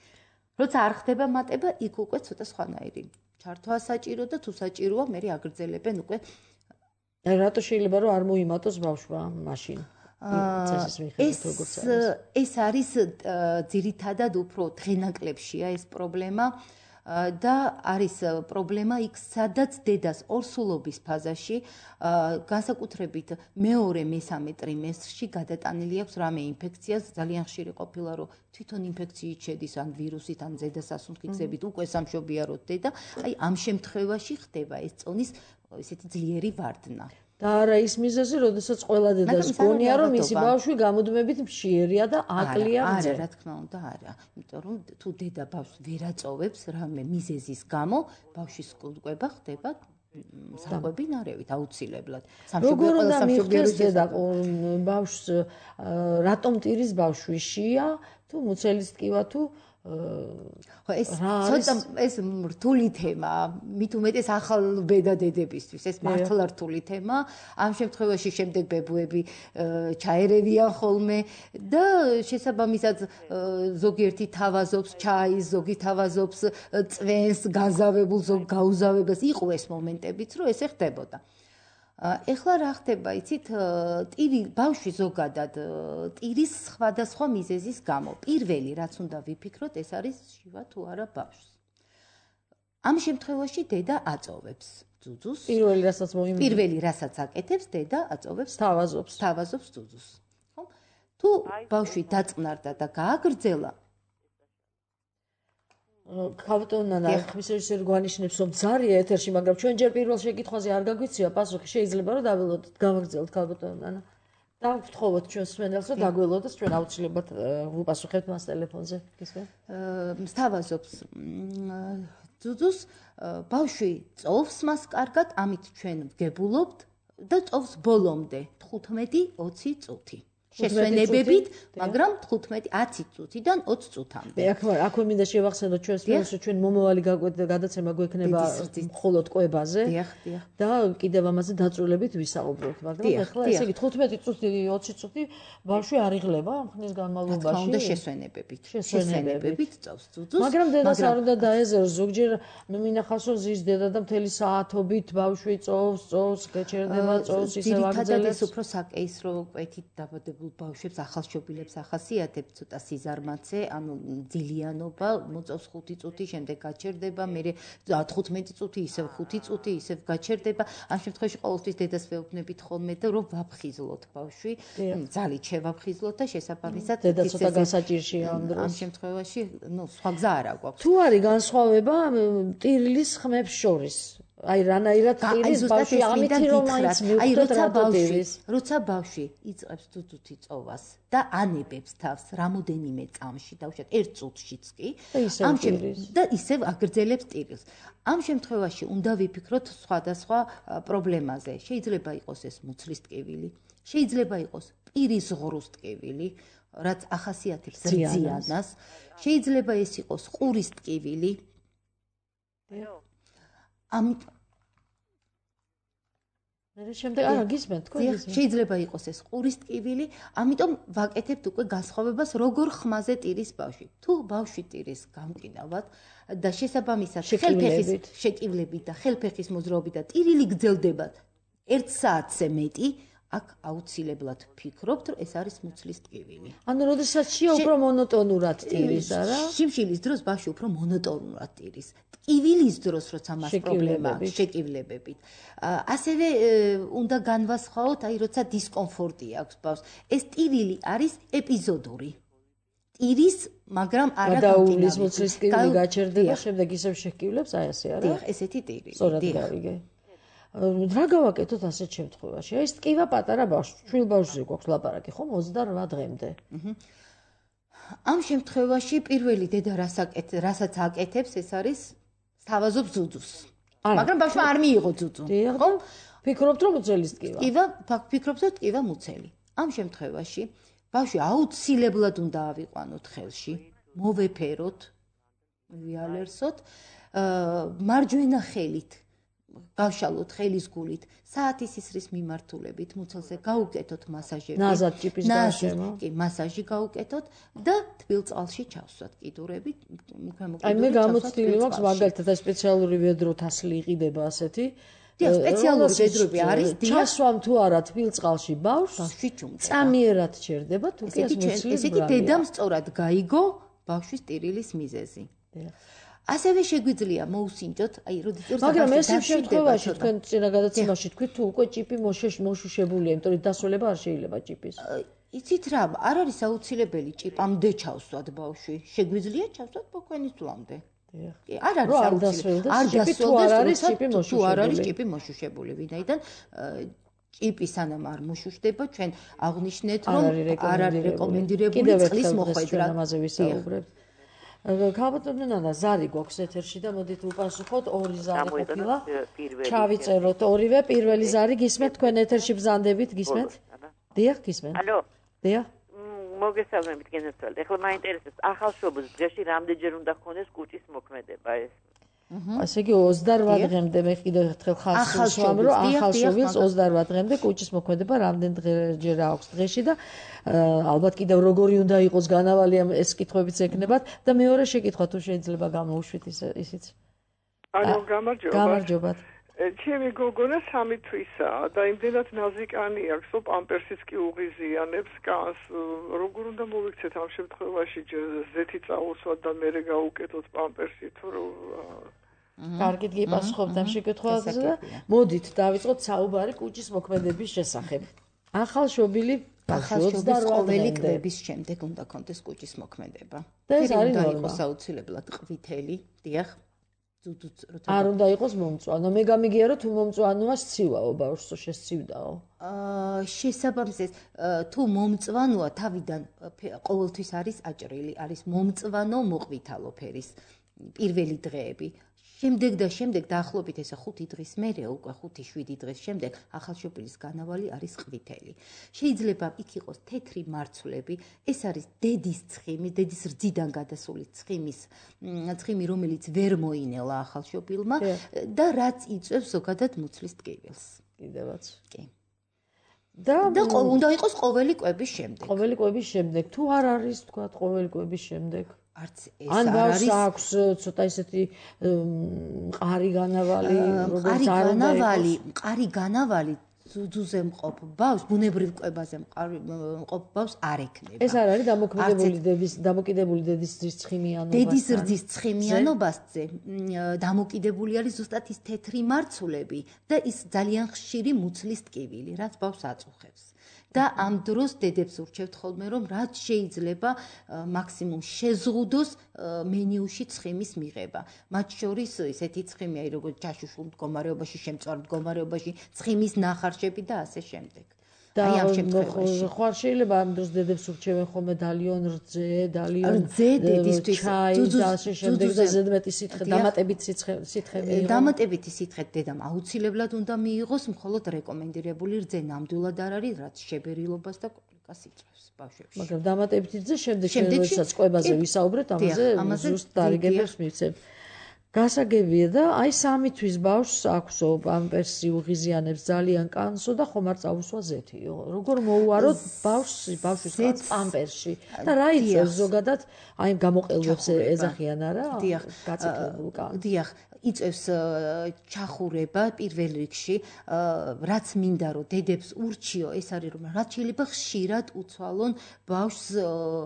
როცა არ ხდება მატება, იქ უკვე ცოტა სხვანაირი ჩართვა საჭირო და თუ საჭიროა, მე აგრძელებენ უკვე. რატო შეიძლება რომ არ მოიმატოს ბავშვმა მაშინ? ეს არის ძირითადად უფრო დღენაკლებშია ეს პრობლემა და არის პრობლემა იქ, სადაც დედას ორსულობის ფაზაში, განსაკუთრებით მეორე-მესამე ტრიმესტრში გადატანილი აქვს რამე ინფექცია, ძალიან ხშირი ყოფილა, რომ თვითონ ინფექციით შედის ან ვირუსით, ან ზედასასუნთქი გზებით უკვე სამშობიაროდ დედა, აი ამ შემთხვევაში ხდება ეს წონის ესეთი ძლიერი ვარდნა. და არა ის მიზეზი, როდესაც ყველა დედას გონია, რომ მისი ბავშვი გამუდმებით მშიერია და აკლია მძე. არა, რა თქმა უნდა, არა. იმიტომ რომ თუ დედა ბავშვს ვერ აწოვებს რამე მიზეზის გამო, ბავშვის კვება ხდება საკვებინარევით აუცილებლად. როგორ უნდა მიხვდეს დედა ბავშვს, რატომ ტირის ბავშვი შია, თუ მუცელის ტკივა, თუ ხო ეს ცოტა ეს რთული თემაა, მით უმეტეს ახალ ბედა დედებისთვის, ეს მართლა რთული თემაა. ამ შემთხვევაში შემდეგ ბებუები ჩაერევიან ხოლმე და შესაბამისად ზოგიერთი თავაზობს ჩაის, ზოგი თავაზობს წვენს, გაზავებულ, ზოგი გაუზავებას. იყო ეს მომენტებიც, რომ ესე ხდებოდა. ეხლა რა ხდება, იცით, ბავშვი ზოგადად ტირის სხვადასხვა მიზეზის გამო. პირველი, რაც უნდა ვიფიქროთ, ეს არის შივა თუ არა ბავშვს. ამ შემთხვევაში დედა აწოვებს ძუძუს. პირველი, რასაც აკეთებს, დედა აწოვებს თავაზობს ძუძუს. ხო? თუ ბავშვი დაწყნარდა და გააგრძელა, ქავტონანა ხმის რეჟისორი გვანიშნებს, რომ ძარია ეთერში, მაგრამ ჩვენ ჯერ პირველ შეკითხვაზე არ გაგვიცია პასუხი, შეიძლება რომ დაველოდოთ, გავაგრძელოთ ქავტონანა. და ვთხოვოთ ჩვენს მსმენელს, რომ დაგველოდოს, ჩვენ აუცილებლად ვუპასუხებთ მას ტელეფონზე. გისმენთ? სთავაზობს ძუძუს, ბავშვი წოვს მას კარგად, ამით ჩვენ ვგებულობთ და წოვს ბოლომდე 15-20 წუთი. შესვენებებით, მაგრამ 15-10 წუთიდან 20 წუთამდე. აქვე მინდა შევახსენოთ ჩვენს ფილმს, რომ ჩვენ მომავალი გადაცემა გვექნება მხოლოდ კვებაზე და კიდევ ამაზე დაწვრილებით ვისაუბროთ, მაგრამ ახლა ესე იგი 15 წუთი, 20 წუთი ბავშვი არ იღლება ამ ხნის განმავლობაში. უნდა შესვენებებით წავს ძუძუს. მაგრამ დედას არ უნდა დაეზეროს, ზოგჯერ მინახავს, რომ ზის დედა და მთელი საათობით ბავშვი წოვს, გეჩერდება, წოვს, ისევ აგრძელებს. ძირითადად ეს უფრო საკეისრო კვეთით დაბადებულ ბავშვებს ახალშობილებს ახასიათებს ცოტა სიზარმაცე, ანუ ძილიანობა, მოწევს 5 წუთი, შემდეგ გაჩერდება, მერე 15 წუთი, ისევ 5 წუთი, ისევ გაჩერდება. ამ შემთხვევაში ყოველთვის დედას ვეუბნებით ხოლმე, რომ ვაფხიზლოთ ბავშვი, ძალით შევაფხიზლოთ და შესაბამისად დედა ცოტა გასაჭირშია ამ დროს. ამ შემთხვევაში, სხვა გზა არ აქვს. თუ არის განსხვავება ტირილის ხმებს შორის? აი რანაირად ტირის ბავშვი ამითი რომ მაინც მივხვდეთ როცა ბავშვი იწყებს ძუძუთი წოვას და ანებებს თავს რამოდენიმე წამში, დავუშვათ 1 წუთშიც კი, და ისევ აგრძელებს ტირილს. ამ შემთხვევაში უნდა ვიფიქროთ სხვადასხვა პრობლემაზე. შეიძლება იყოს ეს მუცლის ტკივილი, შეიძლება იყოს პირის ღრუს ტკივილი, რაც ახასიათებს ზიანას, შეიძლება ეს იყოს ყურის ტკივილი. შეიძლება იყოს ეს ყურის ტკივილი, ამიტომ ვაკეთებთ უკვე განსხვავებას, როგორ ხმაზე ტირის ბავშვი. თუ ბავშვი ტირის გამყინავად და შესაბამისად შეკივლებით და ხელფეხის მოძრაობით და ტირილი გრძელდებათ 1 საათზე მეტი, აქ აუცილებლად ფიქრობთ, რომ ეს არის მუცლის ტკივილი. ანუ როდესაც შია უფრო მონოტონურად ტირის, არა? შიმშილის დროს ბავშვი უფრო მონოტონურად ტირის. ტკივილის დროს, როცა მას პრობლემა აქვს შეკივლებებით. ასევე უნდა განვასხვაოთ, აი როცა დისკომფორტი აქვს ბავშვს. ეს ტირილი არის ეპიზოდური. ტირის, მაგრამ არა გადაუვლის მუცლის ტკივილი გაჩერდება, შემდეგ ისევ შეკივლებს, აი ასე არა? დიახ, ესეთი ტირი. სწორად გავიგე. რა გავაკეთოთ ასეთ შემთხვევაში? აი ეს ტკივა პატარა ბავშვს, შვილ ბავშვზე გვაქვს ლაპარაკი, ხომ 28 დღემდე. ამ შემთხვევაში პირველი დედა რასაც აკეთებს, ეს არის სთავაზობს ძუძუს. მაგრამ ბავშვმა არ მიიღო ძუძუ. ხო? ფიქრობთ რომ მუცელის ტკივა. ფიქრობთ რომ ტკივა მუცელი. ამ შემთხვევაში ბავშვი აუცილებლად უნდა ავიყვანოთ ხელში, მოვეფეროთ, ვიალერსოთ, მარჯვენა ხელით, გავშალოთ ხელის გულით, საათის ისრის მიმართულებით, მუცელზე გაუკეთოთ მასაჟები. ნაზად ჭიპის გარშემო. კი, მასაჟი გაუკეთოთ და თბილ წყალში ჩავსვათ კიდურებით. აი მე გამოცდილი მაქვს მაგალითად სპეციალური ვედრო თასლი იყიდება ასეთი. დიახ, სპეციალური ვედროები არის, ჩასვამ თუ არა თბილ წყალში ბავშვი წამიერად ჩერდება, თუ კი ეს მუცლის ესეთი დედამ სწორად გაიგო ბავშვის ტირილის მიზეზი. ასევე შეგვიძლია მოусინჯოთ, აი როდესაც მაგრამ ეს შემთხვევაში თქვენ წინა გადაცემაში თქვით თუ უკვე ჭიპი მოშუშებულია, იმიტომ რომ დასრულება არ შეიძლება ჭიპის. იცით რა, არ არის აუცილებელი ჭიპამდე ჩავსვათ ბავშვი. შეგვიძლია ჩავსვათ ბოქვენის ძვლამდე. კი, არ არის აუცილებელი. არ დასრულდეს თუ არ არის ჭიპი მოშუშებული, ვინაიდან ჭიპი სანამ არ მოშუშდება, ჩვენ აღნიშნეთ, რომ არ არის რეკომენდირებული წყლის მოხვედრა. ამაზე ვისაუბრებთ. ქალბატონო ნანა, ზარი გვაქვს ეთერში და მოდით უპასუხოთ, ორი ზარი ყოფილა. ჩავიწეროთ ორივე, პირველი ზარი გისმენთ, თქვენ ეთერში ბრძანდებით, გისმენთ? დიახ, გისმენთ. ალო. დიახ. მოგესალმებით, გენერალ. ეხლა მაინტერესებს, ახალშობილს დღეში რამდენჯერ უნდა ჰქონდეს კუჭის მოქმედება ეს? ასე იგი 28 დღემდე მე კიდევ ერთხელ ხალხს ვსვამ, რომ ახალშობილს 28 დღემდე კუჭის მოქმედება რამდენჯერ აქვს დღეში და ალბათ კიდევ როგორი უნდა იყოს განავალი ეს კითხვებიც ექნებათ და მეორე შეკითხვა თუ შეიძლება გამოუშვით ისიც. ანუ გამარჯობა. გამარჯობათ. ჩემი გოგონა 3 თვისაა და იმდენად ნაზიკანი აქვს, რომ პამპერსიც კი უღიზიანებს კანს. როგორ უნდა მოვიქცეთ ამ შემთხვევაში, ზეთი წაუსვათ და მერე გაუკეთოთ პამპერსი თუ რომ კარგით გიპასუხებთ ამ შეკითხვაზე და მოდით დავიწყოთ საუბარი კუჭის მოქმედების შესახებ. ახალშობილი ყოველი კვების შემდეგ უნდა კონდეს კუჭის მოქმედება. და ეს არის ნორმა. იყოს აუცილებლად ყვითელი, დიახ. არ უნდა იყოს მომწვანო. მე გამიგია რომ თუ მომწვანოა სცივაო ბავშვს შესცივდაო. შესაბამისად თუ მომწვანოა თავიდან ყოველთვის არის აჭრილი, არის მომწვანო მოყვითალო ფერის პირველი დღეები. შემდეგ დაახლოებით ესე 5 დღის მერე უკვე 5-7 დღის შემდეგ ახალშობილის განავალი არის ყვითელი. შეიძლება იქ იყოს თეთრი მარცვლები, ეს არის დედის ცხიმი, დედის რძიდან გადასული ცხიმი, რომელიც ვერ მოინელა ახალშობილმა და რაც იწვევს ზოგადად მუცლის ტკივილს. კიდევაც. კი. და უნდა იყოს ყოველი კვების შემდეგ. ყოველი კვების შემდეგ. თუ არ არის თქვა ყოველი კვების შემდეგ არც ეს არ არის. ან ბავშვს აქვს ცოტა ისეთი მყარი განავალი, როგორც არ უნდა იყოს. მყარი განავალი ძუძუზე მყოფ ბავშვს, ბუნებრივ კვებაზე მყოფ ბავშვს არ ექნება. ეს არ არის დამოკიდებული დედის რძის ცხიმიანობასთან. დედის რძის ცხიმიანობაზე დამოკიდებული არის ზუსტად ის თეთრი მარცვლები და ის ძალიან ხშირი მუცლის ტკივილი, რაც ბავშვს აწუხებს. და ამ დროს დედებს ურჩევთ ხოლმე, რომ რაც შეიძლება მაქსიმუმ შეზღუდოს მენიუში ცხიმის მიღება. მათ შორის ესეთი ცხიმი, აი როგორც ჩაშუშულ მდგომარეობაში, შემწვარ მდგომარეობაში, ცხიმის ნახარშები და ასე შემდეგ. აი ამ შემთხვევაში. ხო არ შეიძლება ამ დროს დედებს ურჩევენ ხოლმე დალიონ რძე, დალიონ დედისთვის ჩაი და ასე შემდეგ და ზედმეტი სითხე, დამატებითი სითხე მიიღოს. დამატებითი სითხე დედამ აუცილებლად უნდა მიიღოს, მხოლოდ რეკომენდირებული რძე ნამდვილად არ არის, რაც შებერილობას და კომპლიკაციას იწვევს ბავშვებში. მაგრამ დამატებითი რძე შემდეგ როდესაც კვებაზე ვისაუბრეთ, ამაზე ზუსტ დარიგებებს მივცემ. გასაგებია და აი 3 თვის ბავშვს აქვსო პამპერსი უღიზიანებს ძალიან კანსო და ხომ არ წაუსვა ზეთიო. როგორ მოუაროთ ბავშვის პამპერსში და რა იწევს ზოგადად აი გამოყელვებს ეძახიან არა? გაწიკლებულ კანს. დიახ, იწევს ჩახურება პირველ რიგში, რაც მინდა რომ დედებს ურჩიო, ეს არის რომ რაც შეიძლება ხშირად უცვალონ ბავშვს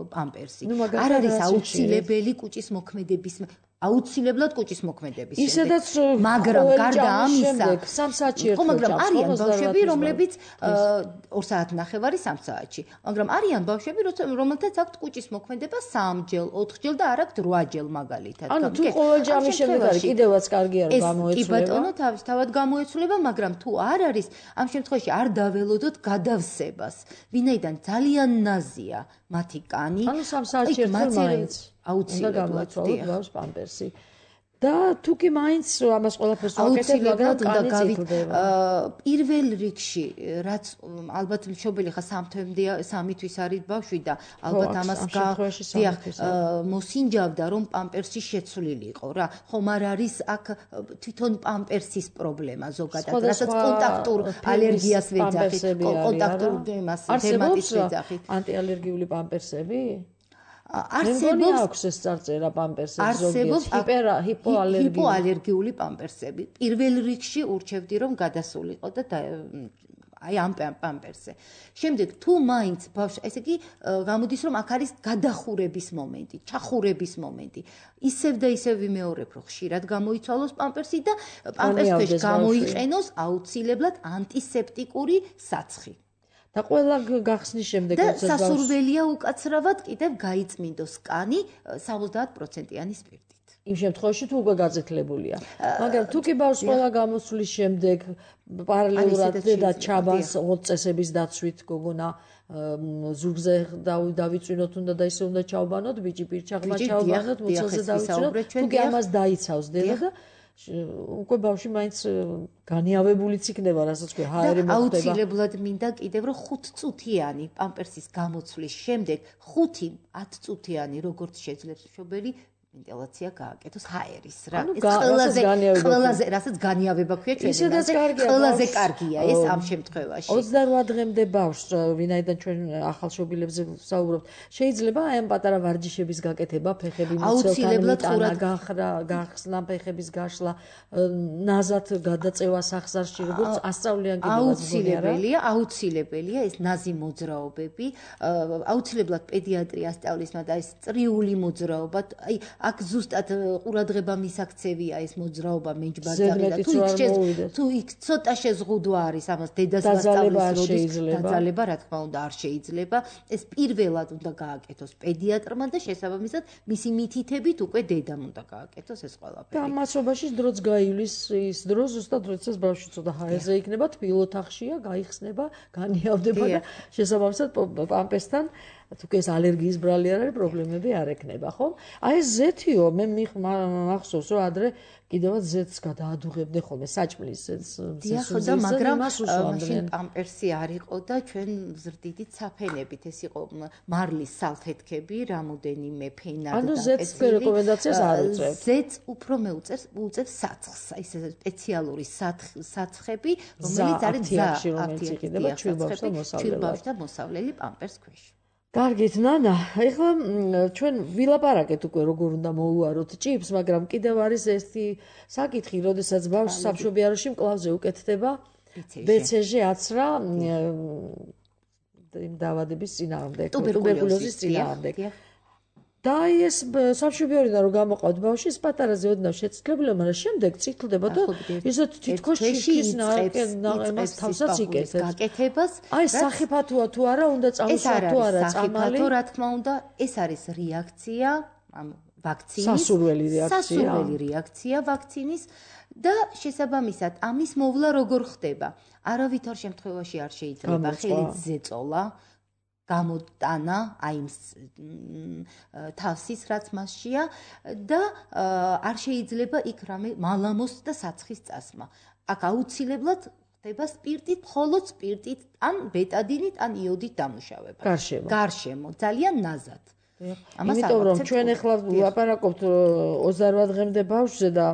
პამპერსი. არ არის აუცილებელი კუჭის მოქმედების აუცილებლად კუჭის მოქმედების ისედაც მაგრამ გარდა ამისა 3 საათში ერთხელ მაგრამ არიან ბავშვები რომლებიც 2 საათნახევარი 3 საათში მაგრამ არიან ბავშვები რომელთაც აქვთ კუჭის მოქმედება 3-ჯერ 4-ჯერ და არ აქვთ 8-ჯერ მაგალითად ანუ თუ ყოველ ჯამის შემდეგ არის კიდევაც კარგია რომ გამოეცვლება კი ბატონო თავისთავად გამოეცვლება მაგრამ თუ არ არის ამ შემთხვევაში არ დაველოდოთ გადავსებას ვინაიდან ძალიან ნაზია მათი კანი ანუ 3 საათში ერთხელ მაინც აუცილებლად ბავშვს პამპერსი და თუ კი მაინც ამას ყველაფერს ვაკეთებ მაგრამ კანი წიფლდება პირველ რიგში რაც ალბათ მშობელი ხა 3 თვის არის ბავშვი და ალბათ ამას მოსინჯავდა რომ პამპერსი შეცვლილი იყო რა ხომ არ არის აქ თვითონ პამპერსის პრობლემა ზოგადად რასაც კონტაქტურ ალერგიას ვეძახით კონტაქტურ დერმატიტს ვეძახით ანტიალერგიული პამპერსები არსებობს აქვს ეს წარწერა პამპერსების ზოგიერთ ჰიპოალერგიული პამპერსები პირველ რიგში ურჩევდი რომ გადასულიყო და აი ამ პამპერსზე შემდეგ თუ მაინც ბავშვი ესე იგი გამოდის რომ აქ არის გადახურების მომენტი ჩახურების მომენტი ისევ და ისევ ვიმეორებ რომ ხშირად გამოიცვალოს პამპერსი და პამპერსში გამოიყენოს აუცილებლად ანტისეპტიკური საცხი და ყველა გახსნის შემდეგ და სასურველია უკაცრავად კიდევ გაიწმინდოს კანი 70%-იანი სპირტით. იმ შემთხვევაში თუ უკვე გაზეთლებულია. მაგრამ თუ კი ბავშვს ყველა გამოსვლის შემდეგ პარალელურად და ჩაბანს 20 წესების დაცვით გოგონა ზურგზე დავიწვინოთ უნდა და ისე უნდა ჩავბანოთ ბიჭი პირჩაღმა ჩავბანოთ მუცელზე დავიწვინოთ თუ კი ამას დაიცავს დედა და უკვე ბავშვი მაინც განიავებულიც იქნება, რასაც ქვია, ჰაერი მოხდება. აუცილებლად მინდა კიდევ რომ 5 წუთიანი პამპერსის გამოცვლის შემდეგ 5-10 წუთიანი როგორც შეძლებს მშობელი ვენტილაცია გააკეთოს ჰაერის რა. ეს ყველაზე რასაც განიავება ქვია ჩვენზე. ყველაზე კარგია ეს ამ შემთხვევაში. 28 დღემდე ბავშვს, ვინაიდან ჩვენ ახალშობილებზე ვსაუბრობთ, შეიძლება აი ამ პატარა ვარჯიშების გაკეთება, ფეხები მიცელთან გახსნა, ფეხების გაშლა, ნაზად გადაწევა სახსარში, როგორც ასწავლიან კიდევაც აუცილებელია ეს ნაზი მოძრაობები, აუცილებლად პედიატრი ასწავლის, მაგრამ ეს წრიული მოძრაობა, აი აქ ზუსტად ყურადღება მისაქცევია ეს მოძრაობა მეჯბაძაღი და თუ იქ ცოტა შეზღუდვა არის ამას დედას მასწავლის როდის დაძალება რა თქმა უნდა არ შეიძლება ეს პირველად უნდა გააკეთოს პედიატრმა და შესაბამისად მისი მითითებით უკვე დედამ უნდა გააკეთოს ეს ყველაფერი და მასობაში დროც გაივლის ის დრო ზუსტად როდესაც ბავშვი ცოტა ჰაერზე იქნება თბილოთახშია გაიხსნება განიავდება და შესაბამისად პამპერსთან თუ ეს ალერგიის ბრალი არ არის პრობლემები არ ექნება ხო? აი ეს ზეთიო მე მახსოვს რომ ადრე კიდევაც ზეთს გადაადუღებდნენ ხოლმე საჭმლის ზესუზზე მაგრამ მაშინ პამპერსი არ იყო და ჩვენ ზრდიდით საფენებით ეს იყო მარლის სალფეთქები რამოდენიმე ფენა და ანუ ზეთს რეკომენდაციას არ უწევს ზეთს უფრო უწევს საცხს ეს სპეციალური საცხები რომელიც არის ჩვილბავშვთა მოსავლელი პამპერს ქვეშ კარგით, ნანა, ეხლა ჩვენ ვილაპარაკეთ უკვე როგორ უნდა მოუაროთ ჭიფს, მაგრამ კიდევ არის ერთი საკითხი, როდესაც ბავშვს სამშობიაროში მკლავზე უკეთდება BCG აცრა დაავადების წინააღმდეგ, ტუბერკულოზის წინააღმდეგ. და ეს სამშობიაროდან რომ გამოყავთ ბავშვი, ეს პატარაზე ოდნავ შეცდლებულა, მაგრამ შემდეგ წითლდება და ისეთ თითქოს შიშის ნაყენს თავსაც იკეთებს. გაკეთებას აი სახიფათოა თუ არა, უნდა წამოსვა თუ არა წამალი. სახიფათო რა თქმა უნდა, ეს არის რეაქცია ამ ვაქცინის. სასურველი რეაქცია ვაქცინის და შესაბამისად ამის მოვლა როგორ ხდება? არავითარ შემთხვევაში არ შეიძლება ხელით ზეწოლა გამოტანა აი თავსის რაც მასშია და არ შეიძლება იქ რამე მალამოს და საცხის წასმა. აქ აუცილებლად ხდება სპირტით, მხოლოდ სპირტით, ან ბეტადინით, ან იოდით დამუშავება. გარშემო, ძალიან ნაზად. იმიტომ რომ ჩვენ ახლა ვაპარაკობთ 28 დღემდე ბავშვზე და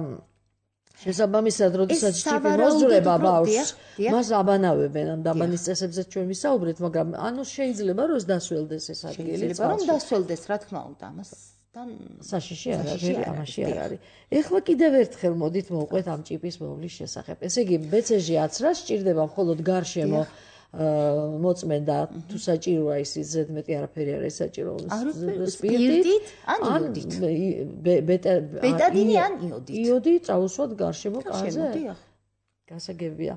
შესაბამისად, როდესაც ჭიპი მოძრება ბავშვს, მას აბანავებენ, ამ დაბანის წესებზე ჩვენ ვისაუბრეთ, მაგრამ ანუ შეიძლება რომ დასველდეს ეს ადგილი. შეიძლება რომ დასველდეს, რა თქმა უნდა, ამასთან საშიში არ არის, ამაში არ არის. ეხლა კიდევ ერთხელ მოდით მოვყვეთ ამ ჭიპის მოვლის შესახებ. ესე იგი, BCG აცრა სჭირდება მხოლოდ გარშემო მოწმენდა თუ საჭიროა ის ზედმეტი არაფერი არ არის საჭირო სპირტით ან იოდით ბეტადინი ან იოდით იოდი წაუსვათ გარშემო კარზე გასაგებია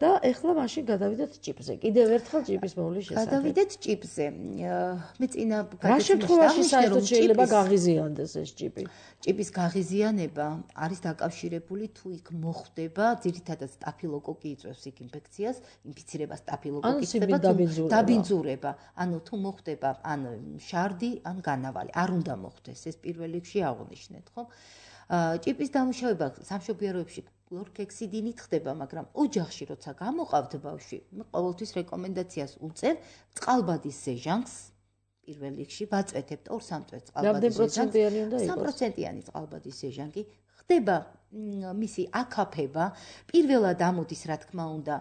და ეხლა მაშინ გადავიდეთ ჭიპზე. კიდევ ერთხელ ჭიპის მოვლის შესახებ. გადავიდეთ ჭიპზე. მე წინა რა შემთხვევაში საერთოდ შეიძლება გაღიზიანდეს ეს ჭიპი? ჭიპის გაღიზიანება არის დაკავშირებული თუ იქ მოხდება, ძირითადად სტაფილოკოკი იწვევს იქ ინფექციას, ინფიცირება სტაფილოკოკით ხდება დაბინძურება. ანუ თუ მოხდება ან შარდი, ან განავალი. არ უნდა მოხდეს, ეს პირველ რიგში აღნიშნეთ, ხო? ჭიპის დამუშავება სამშობიაროებში კლორქექსიდინით ხდება, მაგრამ ოჯახში როცა გამოყავთ ბავშვი, ყოველთვის რეკომენდაციას უწევ წყალბადის სეჟანს პირველ რიგში ვაწვეთებთ 2-3 წელს წყალბადის სეჟანს. 3%-იანი წყალბადის სეჟანკი ხდება მისი აკაფება, პირველად ამოდის რა თქმა უნდა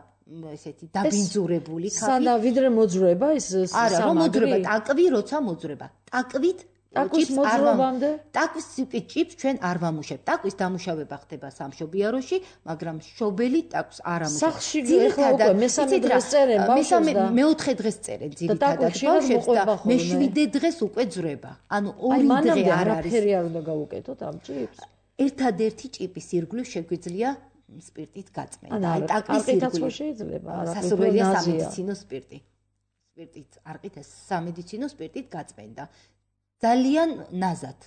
ესეთი დაბინძურებული ქაფი. სანა ვიდრე მოძრება ეს არა, რომ მოძრება, ტაკვი როცა მოძრება. ტაკვით ტაკვის მოძრობამდე? ტაკვის ჭიპს ჩვენ არ ვამუშავებთ. ტაკვის დამუშავება ხდება სამშობიაროში, მაგრამ შობელი ტაკვის არ ამუშავებთ. სახში ეხლა უკვე მესამე დღეს წერენ ბავშვებს და მეოთხე დღეს წერენ ძირითადად ბავშვებს და მეშვიდე დღეს უკვე ძრება. ანუ 2 დღე არ არის. არაფერი არ უნდა გავუკეთოთ ამ ჭიპს. ერთადერთი ჭიპის ირგვლივ შეგვიძლია სპირტით გაწმენდა. აი ტაკვის ირგვლივ შეიძლება, არა სასურველია სამედიცინო სპირტი. სპირტით არყით ეს სამედიცინო სპირტით გაწმენდა. ძალიან ნაზად.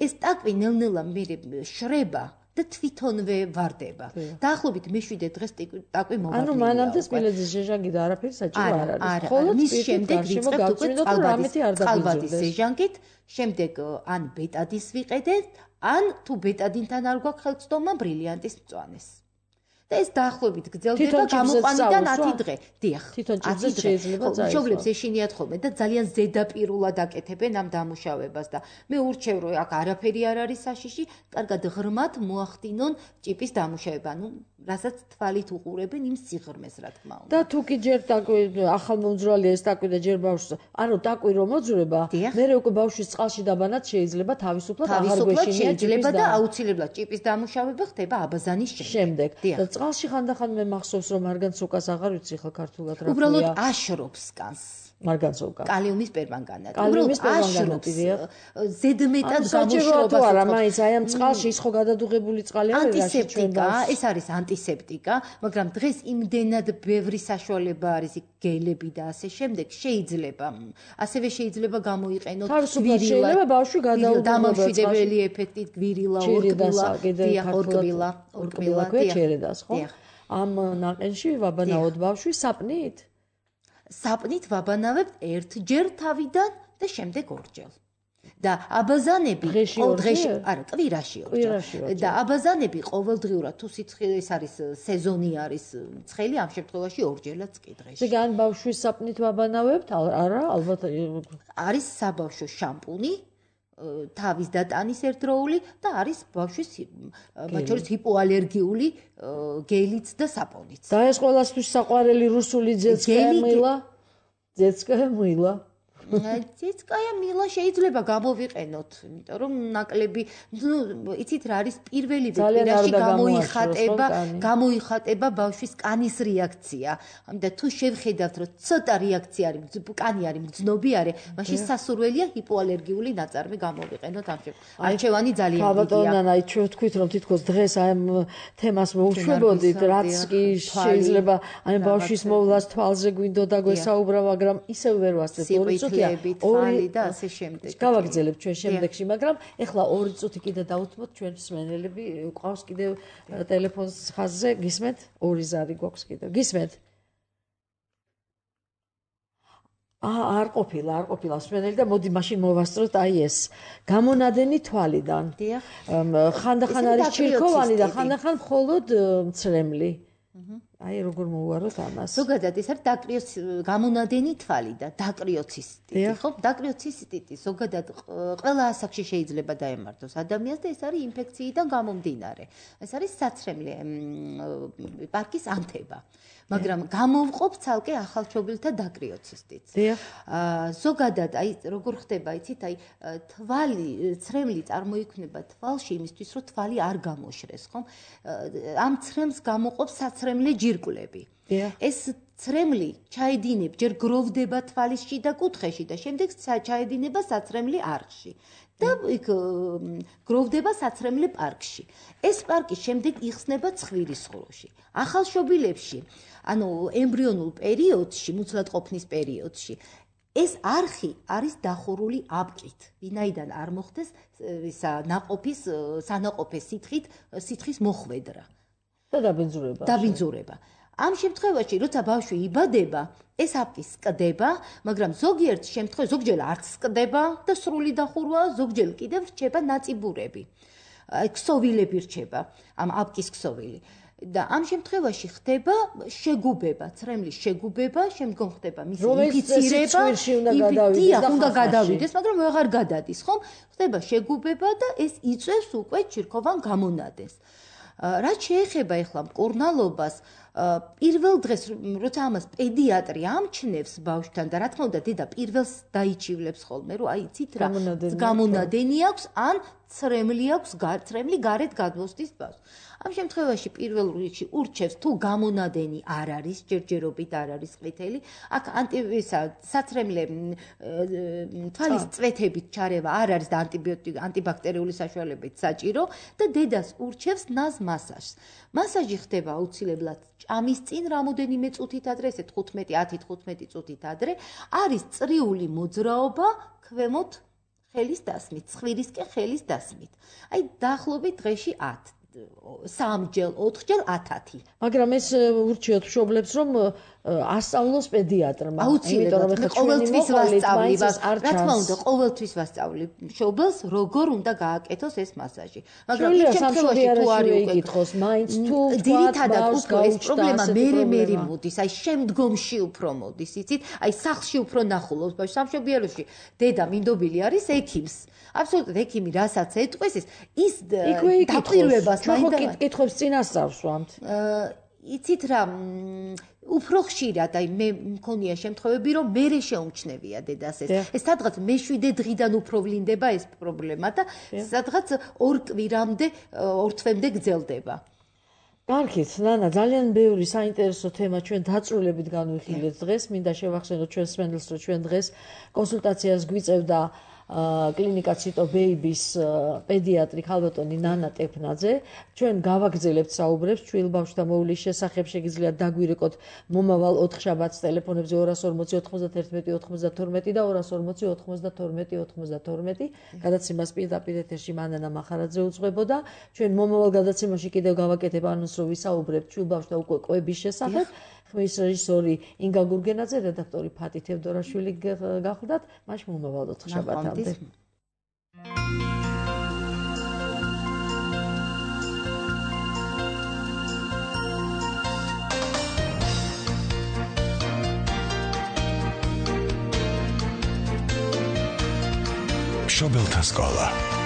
ეს ტაკვი ნელ-ნელა მე შრება და თვითონვე ვარდება. დაახლოებით მე7 დღეს ტაკვი მოვარდნილია. ანუ მანამდე სპილეძის ჟეჟანგი და არაფერი საჭირო არ არის. ხოლო მის შემდეგ ვიწყებთ უკვე წყალბადის სეჟანგით, შემდეგ ან ბეტადის ვიყედეთ, ან თუ ბეტადინთან არ გვაქვს ხელმძღვანელობა ბრილიანტის მწვანეს. და ეს დაახლოებით გრძელდება გამოყვანიდან 10 დღე. დიახ. თვითონ ჭიძე შეიძლება წაიღოს. მშობლებს ეშინიათ ხოლმე და ძალიან ზედაპირულად აკეთებენ ამ დამუშავებას და მე ურჩევ რომ აქ არაფერი არ არის საშიში, კარგად ღრმად მოახდინონ ჭიპის დამუშავება. ანუ რასაც თვალით უყურებენ იმ სიღრმეს რა თქმა უნდა. და თუ კი ჯერ ტაკვი ახალმომძრალია ეს ტაკვი და ჯერ ბავშვს, ანუ ტაკვი რომ მოძრება, მერე უკვე ბავშვის წყალში დაბანაც შეიძლება თავისუფლად აღარ გვეშინია შეიძლება და აუცილებლად ჭიპის დამუშავება ხდება აბაზანის შემდეგ. წყალში ხანდახან მე მახსოვს რომ მარგანცოკას აღარ ვიცი ხა ქართულად რა ქვია. უბრალოდ აშრობს კანს. მარგანცოკა. კალიუმის პერმანგანატი. კალიუმის პერმანგანატი. ზედმეტად გამოშრობას. არა, მაინც აი ამ წყალში ის ხო გადადუღებული წყალი არის რაში ჩვენ ანტისეპტიკა, ეს არის ანტისეპტიკა, მაგრამ დღეს იმდენად ბევრი საშუალება არის გელები და ასე შემდეგ შეიძლება. ასევე შეიძლება გამოიყენოთ გვირილად. შეიძლება ბავშვი გადაუღოს დამამშვიდებელი ეფექტით გვირილა, ორკბილა, ჩერედას, ხო? ამ ნაყენში ვაბანაოთ ბავშვი საპნით? საპნით ვაბანავებთ ერთჯერ თავიდან და შემდეგ ორჯერ. და აბაზანები დღეში არა, კვირაში ორჯერ. და აბაზანები ყოველდღიურად თუ სიცხე ეს არის სეზონი არის ცხელი, ამ შემთხვევაში ორჯერაც კი დღეში. ზეგან ბავშვის საპნით ვაბანავებთ? არა, ალბათ არის საბავშვო შამპუნი. თავის დატანის ერთდროული და არის ბავშვის მათ შორის ჰიპოალერგიული გელიც და საპონიც. და ეს ყველასთვის საყვარელი რუსული ძეცკაია მილა? ძეცკაია მილა? ძეცკაია მილა შეიძლება გამოვიყენოთ, იმიტომ რომ ნაკლები, იცით რა არის პირველი კვირაში გამოიხატება ბავშვის კანის რეაქცია. ამიტომ თუ შევხედავთ რომ ცოტა რეაქცია არის, კანი არის მგრძნობი არის, მაშინ სასურველია ჰიპოალერგიული ნაწარმი გამოვიყენოთ ამ შემთხვევაში. არჩევანი ძალიან დიდია. ბატონო, აი ჩვენ ვთქვით რომ თითქოს დღეს აი ამ თემას მოუშვებოდით, რაც კი შეიძლება აი ბავშვის მოვლას თვალზე გვინდოდა გვესაუბრა, მაგრამ ისევ ვერ ვასწრებთ. თვალი და ასე შემდეგ. გავაგრძელებთ ჩვენ შემდეგში, მაგრამ ეხლა 2 წუთი კიდე დავუთმოთ ჩვენ მსმენელები, ყავს კიდევ ტელეფონს ხაზზე, გისმენთ? 2 ზარი გვაქვს კიდევ. გისმენთ? არ ყოფილა მსმენელი და მოდი მაშინ მოვასწროთ აი ეს. გამონადენი თვალიდან. დიახ. ხანდახან არის ჩირქოვანი და ხანდახან მხოლოდ მცრემლი. აი როგორ მოვუაროთ ამას. ზოგადად ეს არის გამონადენი თვალი და დაკრიოცისტიტი, ხო? დაკრიოცისტიტი ზოგადად ყველა ასაკში შეიძლება დაემართოს ადამიანს და ეს არის ინფექციიდან გამომდინარე. ეს არის საცრემლი პარკის ანთება. მაგრამ გამოვყოფ ცალკე ახალშობილთა დაკრიოცისტიც. ზოგადად აი როგორ ხდება, იცით, აი თვალი, ცრემლი წარმოიქმნება თვალში იმისთვის, რომ თვალი არ გამოშრეს, ხო? ამ ცრემლს გამოყოფ საცრემლე მიჯირკვლები. ეს ცრემლი ჩაედინება, ჯერ გროვდება თვალის შიდა კუთხეში და შემდეგ ჩაედინება საცრემლი არხში. და იქ გროვდება საცრემლი პარკში. ეს პარკი შემდეგ იხსნება ცხვირისხვროში. ახალშობილებში, ანუ ემბრიონულ პერიოდში, მუცლად ყოფნის პერიოდში, ეს არხი არის დახურული აპკით, ვინაიდან არ მოხდეს ნაყოფის სანაყოფე სითხის მოხვედრა და დაბინძურება. დაბინძურება. ამ შემთხვევაში, როცა ბავშვი იბადება, ეს აპკი სკდება, მაგრამ ზოგიერთ შემთხვევაში ზოგჯერ არც სკდება და სრული დახურვა, ზოგჯერ კიდევ რჩება ნაწიბურები. ქსოვილები რჩება, ამ აპკის ქსოვილი. და ამ შემთხვევაში ხდება შეგუბება, ცრემლის შეგუბება, შემდგომ ხდება მისი ინფიცირება, უნდა გადავიდეს, მაგრამ ვეღარ გადადის, ხომ? ხდება შეგუბება და ეს იწვევს უკვე ჩირქოვან გამონადენს. რაც შეეხება ახლა მკურნალობას, პირველ დღეს, როცა ამას პედიატრი ამჩნევს ბავშვთან და რა თქმა უნდა, დედა პირველს დაიჩივლებს ხოლმე, რომ აი იცით რა, გამონადენი აქვს, ან ცრემლი აქვს, ცრემლი გარეთ გადმოსდის ბავშვს. ამ შემთხვევაში პირველ რიგში ურჩევს თუ გამონადენი არ არის, ჯერჯერობით არ არის ყვითელი, აქ საცრემლე თვალის წვეთებით ჩარევა არ არის და ანტიბაქტერიული საშუალებით საჭირო და დედას ურჩევს ნაზ მასაჟს. მასაჟი ხდება აუცილებლად ჭამის წინ რამოდენიმე წუთით ადრე, ესე 10-15 წუთით ადრე, არის წრიული მოძრაობა ქვემოთ ხელის დასმით, ცხვირისკენ ხელის დასმით. აი დაახლოებით დღეში 10 3-ჯერ, 4-ჯერ 10. მაგრამ ეს ურჩიოთ მშობლებს, რომ ასწავლოს პედიატრმა. აუცილებლად, ყოველთვის ვასწავლი, რა თქმა უნდა, ყოველთვის ვასწავლი მშობელს, როგორ უნდა გააკეთოს ეს მასაჟი. მაგრამ იმ შემთხვევაში თუ არის იკითხოს, მაინც თუ ძირითადად უფრო ეს პრობლემა მერე მოდის, აი შემდგომში უფრო მოდის, იცით? აი სახლში უფრო ნახულობს ბავშვი, სამშობიაროში დედა მინდობილი არის ექიმს. აბსოლუტურად ექიმი რასაც ეტყვის ის დაკვირვებას მაინდა კითხებს წინასწავს ვამთ. იცით რა, უფრო ხშირად აი მე მქონია შემთხვევები, რომ მერე შეუმჩნევია დედას ეს. ეს სადღაც მე-7 დღიდან უფრო ვლინდება ეს პრობლემა და სადღაც 2 კვირამდე, 2 თვემდე გრძელდება. კარგით, ნანა, ძალიან ბევრი საინტერესო თემა ჩვენ დაწვრილებით განვიხილეთ დღეს. მინდა შევახსენოთ ჩვენ სვენელს, რომ ჩვენ დღეს კონსულტაციას გვიწევდა კლინიკა ციტო ბეიბის პედიატრი ქალბატონი ნანა ტეფნაძე. ჩვენ გავაგრძელებთ საუბრებს ჩვილ ბავშვთა მოვლის შესახებ, შეგიძლიათ დაგვირეკოთ მომავალ 4 შაბათს ტელეფონებზე 240 91 92 და 240 92 92. გადაცემას პირდაპირ ეთერში მანანა მახარაძე უძღვებოდა. ჩვენ მომავალ გადაცემაში კიდევ გავაკეთებ ანონს, რომ ვისაუბრებთ ჩვილ ბავშვთა უკვე კვების შესახებ. ხმის რეჟისორი ინგა გურგენაძე, რედაქტორი ფატი თევდორაშვილი გახლდათ. მაშინ მომავალ 4 შაბათამდე. მშობელთა სკოლა.